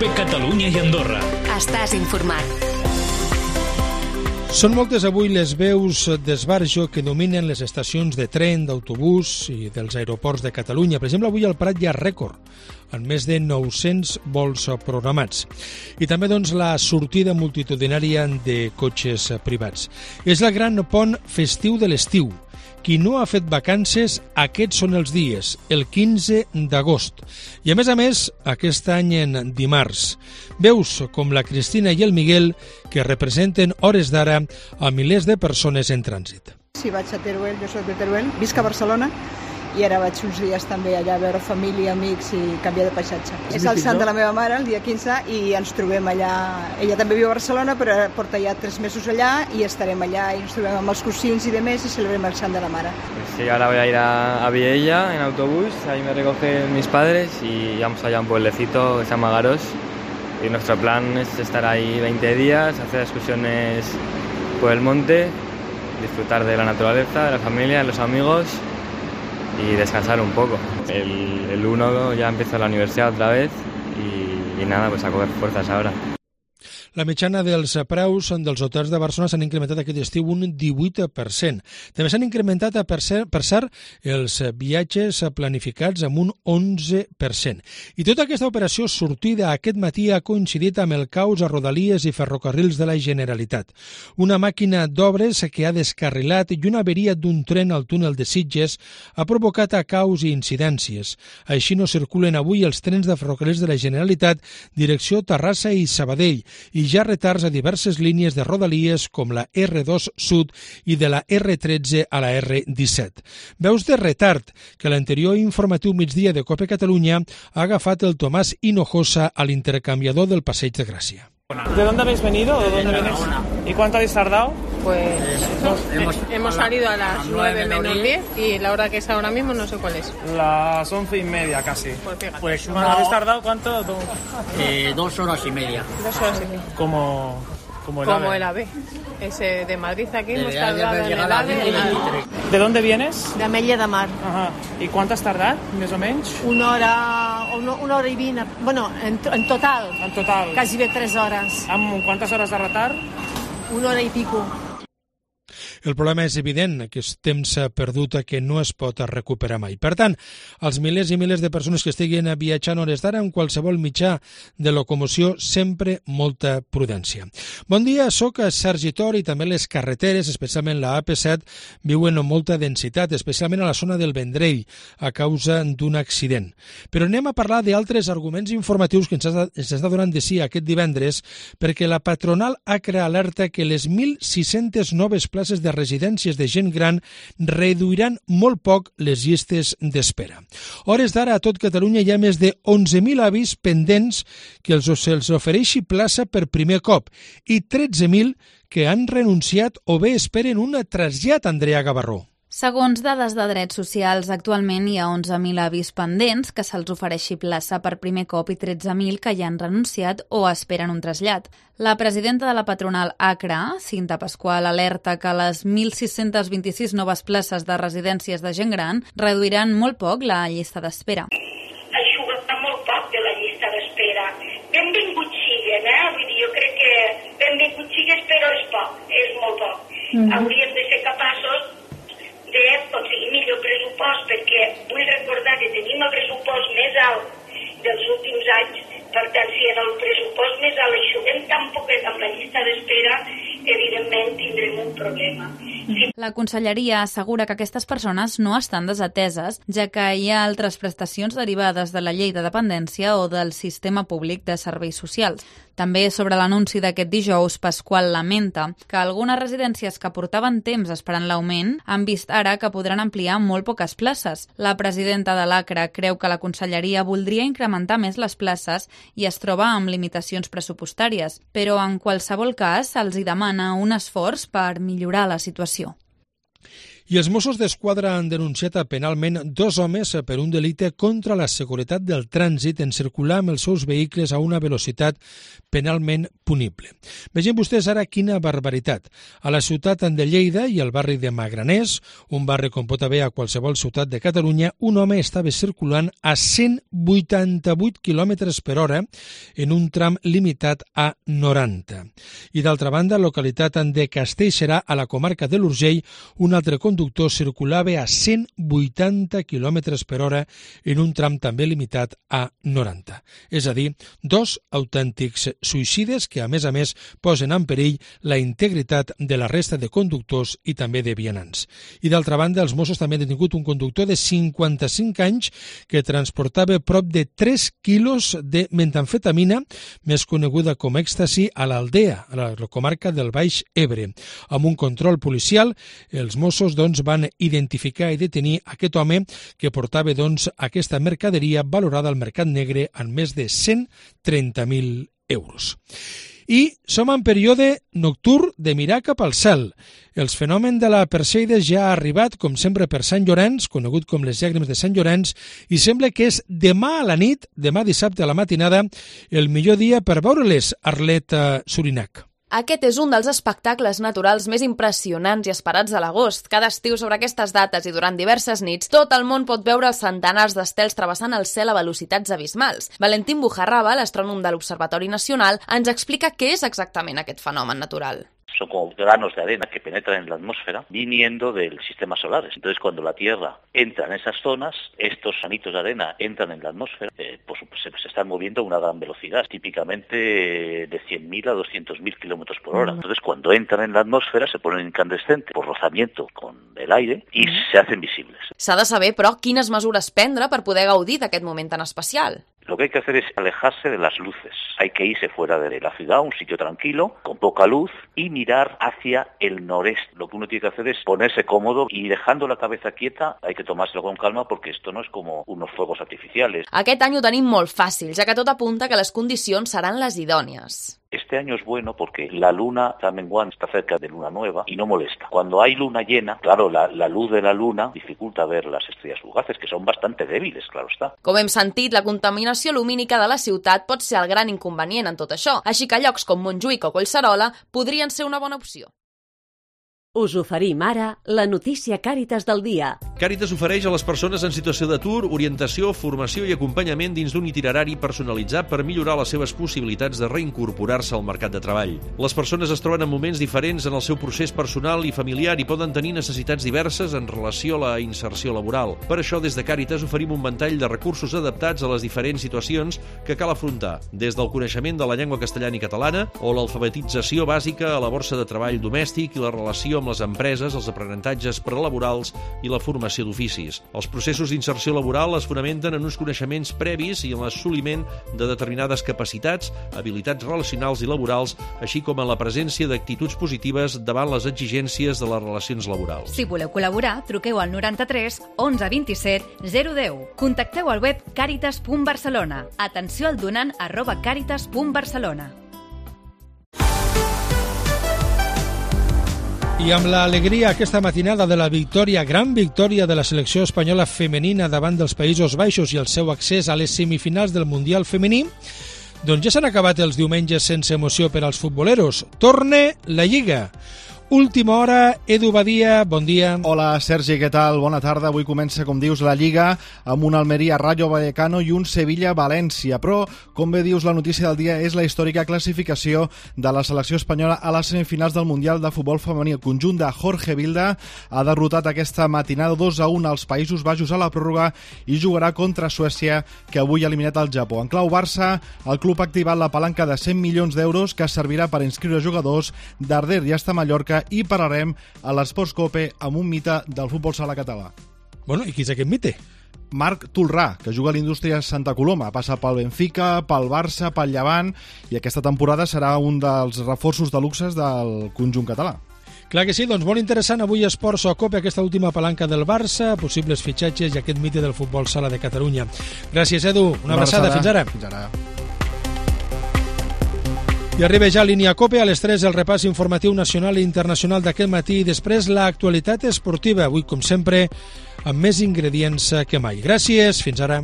Catalunya i Andorra. Estàs informat. Són moltes avui les veus d'esbarjo que dominen les estacions de tren, d'autobús i dels aeroports de Catalunya. Per exemple, avui al Prat hi ha rècord, amb més de 900 vols programats. I també la sortida multitudinària de cotxes privats. És el gran pont festiu de l'estiu. Qui no ha fet vacances, aquests són els dies, el 15 d'agost. I a més, aquest any en dimarts. Veus com la Cristina i el Miguel que representen hores d'ara a milers de persones en trànsit. Sí, vaig a Teruel, jo soc de Teruel, visc a Barcelona i ara vaig uns dies també allà a veure família, amics i canviar de paisatge. És el sant de la meva mare, el dia 15, i ens trobem allà. Ella també viu a Barcelona, però porta ja 3 mesos allà i estarem allà i ens trobem amb els cosins y demés y celebrem el sant de la mare. Sí, ahora voy a ir a Viella en autobús, ahí me recogen mis padres y vamos allá a un pueblecito que se llama Garos. Y nuestro plan es estar ahí 20 días, hacer excursiones por el monte, disfrutar de la naturaleza, de la familia, de los amigos y descansar un poco. El 1 ya empiezo la universidad otra vez y nada, pues a coger fuerzas ahora. La mitjana dels preus dels hotels de Barcelona s'han incrementat aquest estiu un 18%. També s'han incrementat, per cert, els viatges planificats amb un 11%. I tota aquesta operació sortida aquest matí ha coincidit amb el caos a Rodalies i Ferrocarrils de la Generalitat. Una màquina d'obres que ha descarrilat i una averia d'un tren al túnel de Sitges ha provocat caos i incidències. Així no circulen avui els trens de Ferrocarrils de la Generalitat direcció Terrassa i Sabadell i ja retards a diverses línies de Rodalies com la R2 Sud i de la R13 a la R17. Veus de retard que l'anterior informatiu migdia de COPE Catalunya ha agafat el Tomàs Hinojosa a l'intercanviador del Passeig de Gràcia. ¿De dónde habéis venido? ¿De dónde vienes? ¿Y cuánto habéis tardado? Pues hemos salido a las 9 menos 10 y la hora que es ahora mismo no sé cuál es. Las 11:30 casi. Pues fíjate. Pues ¿habéis tardado cuánto? 2 horas y media. 2 horas y media. Como el AVE. Ese de Madrid aquí hemos tardado en el AVE. ¿De dónde vienes? De Ametlla de Mar. Ajá. ¿Y cuánto has tardado, més o menys? Una hora i 20. Bueno, en total. En total. Quasi bé 3 hores. Amb quantes hores de retard? 1 hora i pico. El problema és evident, que és temps perdut que no es pot recuperar mai. Per tant, els milers i milers de persones que estiguin viatjant hores d'ara en qualsevol mitjà de locomoció, sempre molta prudència. Bon dia, soc Sergi Tor i també les carreteres, especialment la AP7, viuen amb molta densitat, especialment a la zona del Vendrell, a causa d'un accident. Però anem a parlar d'altres arguments informatius que ens està donant de sí aquest divendres, perquè la patronal ACRA alerta que les 1.600 noves places de residències de gent gran reduiran molt poc les llistes d'espera. Hores d'ara a tot Catalunya hi ha més de 11.000 avis pendents que se'ls ofereixi plaça per primer cop i 13.000 que han renunciat o bé esperen un trasllat, Andrea Gavarró. Segons dades de drets socials, actualment hi ha 11.000 avis pendents que se'ls ofereixi plaça per primer cop i 13.000 que ja han renunciat o esperen un trasllat. La presidenta de la patronal ACRA, Cinta Pasqual, alerta que les 1.626 noves places de residències de gent gran reduiran molt poc la llista d'espera. Eixugarà molt poc de la llista d'espera. Benvingut siguen, Vull dir, jo crec que benvingut sigues, però és poc, és molt poc. Hauríem de ser capaços de aconseguir millor pressupost, perquè vull recordar que tenim el pressupost més alt dels últims anys. Per tant, si en el pressupost més alt eixuguem tan poquet amb la llista d'espera, evidentment tindrem un problema. La Conselleria assegura que aquestes persones no estan desateses, ja que hi ha altres prestacions derivades de la llei de dependència o del sistema públic de serveis socials. També sobre l'anunci d'aquest dijous, Pasqual lamenta que algunes residències que portaven temps esperant l'augment han vist ara que podran ampliar molt poques places. La presidenta de l'ACRA creu que la Conselleria voldria incrementar més les places i es troba amb limitacions pressupostàries, però en qualsevol cas se'ls hi demana un esforç per millorar la situació. I els Mossos d'Esquadra han denunciat penalment 2 homes per un delicte contra la seguretat del trànsit en circular amb els seus vehicles a una velocitat penalment punible. Vegem vostès ara quina barbaritat. A la ciutat de Lleida i al barri de Magraners, un barri com pot haver a qualsevol ciutat de Catalunya, un home estava circulant a 188 km per hora en un tram limitat a 90. I d'altra banda, a la localitat de Castellserà, a la comarca de l'Urgell, un altre conductor circulava a 180 km per hora en un tram també limitat a 90. És a dir, 2 autèntics suïcides que, a més, posen en perill la integritat de la resta de conductors i també de vianants. I d'altra banda, els Mossos també han detingut un conductor de 55 anys que transportava prop de 3 quilos de metamfetamina, més coneguda com èxtasi, a l'Aldea, a la comarca del Baix Ebre. Amb un control policial, els Mossos van identificar i detenir aquest home que portava aquesta mercaderia valorada al mercat negre en més de 130.000 euros. I som en període nocturn de mirar cap al cel. El fenomen de la Perseides ja ha arribat, com sempre, per Sant Llorenç, conegut com les llàgrimes de Sant Llorenç, i sembla que és demà a la nit, demà dissabte a la matinada, el millor dia per veure-les, Arlet Surinac. Aquest és un dels espectacles naturals més impressionants i esperats de l'agost. Cada estiu sobre aquestes dates i durant diverses nits, tot el món pot veure els centenars d'estels travessant el cel a velocitats abismals. Valentín Bujarraba, l'astrònom de l'Observatori Nacional, ens explica què és exactament aquest fenomen natural. Son como granos de arena que penetran en la atmósfera viniendo del sistema solar. Entonces, cuando la Tierra entra en esas zonas, estos granitos de arena entran en la atmósfera, se están moviendo a una gran velocidad, típicamente de 100.000 a 200.000 kilómetros por hora. Entonces, cuando entran en la atmósfera, se ponen incandescentes por rozamiento con el aire y se hacen visibles. S'ha de saber, però, quines mesures prendre per poder gaudir d'aquest moment tan especial. Lo que hay que hacer es alejarse de las luces. Hay que irse fuera de la ciudad, un sitio tranquilo, con poca luz, y mirar hacia el noreste. Lo que uno tiene que hacer es ponerse cómodo y dejando la cabeza quieta. Hay que tomárselo con calma porque esto no es como unos fuegos artificiales. Aquest any ho tenim molt fàcil, ja que tot apunta que les condicions seran les idònies. Este año es bueno porque la luna está menguando, está cerca de luna nueva y no molesta. Cuando hay luna llena, claro, la luz de la luna dificulta ver las estrellas fugaces, que son bastante débiles, claro está. Com hem sentit, la contaminació lumínica de la ciutat pot ser el gran inconvenient en tot això, així que llocs com Montjuïc o Collserola podrien ser una bona opció. Us oferim ara la notícia Càritas del dia. Càritas ofereix a les persones en situació d'atur orientació, formació i acompanyament dins d'un itinerari personalitzat per millorar les seves possibilitats de reincorporar-se al mercat de treball. Les persones es troben en moments diferents en el seu procés personal i familiar i poden tenir necessitats diverses en relació a la inserció laboral. Per això, des de Càritas oferim un ventall de recursos adaptats a les diferents situacions que cal afrontar, des del coneixement de la llengua castellana i catalana o l'alfabetització bàsica a la borsa de treball domèstic i la relació amb les empreses, els aprenentatges prelaborals i la formació d'oficis. Els processos d'inserció laboral es fonamenten en uns coneixements previs i en l'assoliment de determinades capacitats, habilitats relacionals i laborals, així com en la presència d'actituds positives davant les exigències de les relacions laborals. Si voleu col·laborar, truqueu al 93 11 27 010. Contacteu al web caritas.barcelona. Atenció al donant @caritas.barcelona. I amb l'alegria aquesta matinada de la victòria, gran victòria de la selecció espanyola femenina davant dels Països Baixos i el seu accés a les semifinals del Mundial femení, doncs ja s'han acabat els diumenges sense emoció per als futboleros. Torna la Lliga. Última hora, Edu Badia, bon dia. Hola, Sergi, què tal? Bona tarda. Avui comença, com dius, la Lliga amb un Almeria Rayo Vallecano i un Sevilla València. Però, com bé dius, la notícia del dia és la històrica classificació de la selecció espanyola a les semifinals del Mundial de Futbol Femení. El conjunt de Jorge Vilda ha derrotat aquesta matinada 2-1 als Països Baixos a la pròrroga i jugarà contra Suècia, que avui ha eliminat el Japó. En clau Barça, el club ha activat la palanca de 100 milions d'euros que servirà per inscriure jugadors d'Arder i hasta Mallorca, i parlarem a l'Esports Cope amb un mite del futbol sala català. Bueno, i qui és aquest mite? Marc Tolrà, que juga a l'Indústria Santa Coloma. Passa pel Benfica, pel Barça, pel Llevant, i aquesta temporada serà un dels reforços de luxes del conjunt català. Clar que sí, doncs molt interessant avui Esports Cope, aquesta última palanca del Barça, possibles fitxatges i aquest mite del futbol sala de Catalunya. Gràcies, Edu. Una abraçada. Fins ara. Fins ara. I arriba ja Línia Cope, a les 3 el repàs informatiu nacional i internacional d'aquest matí i després l'actualitat esportiva, avui com sempre amb més ingredients que mai. Gràcies, fins ara.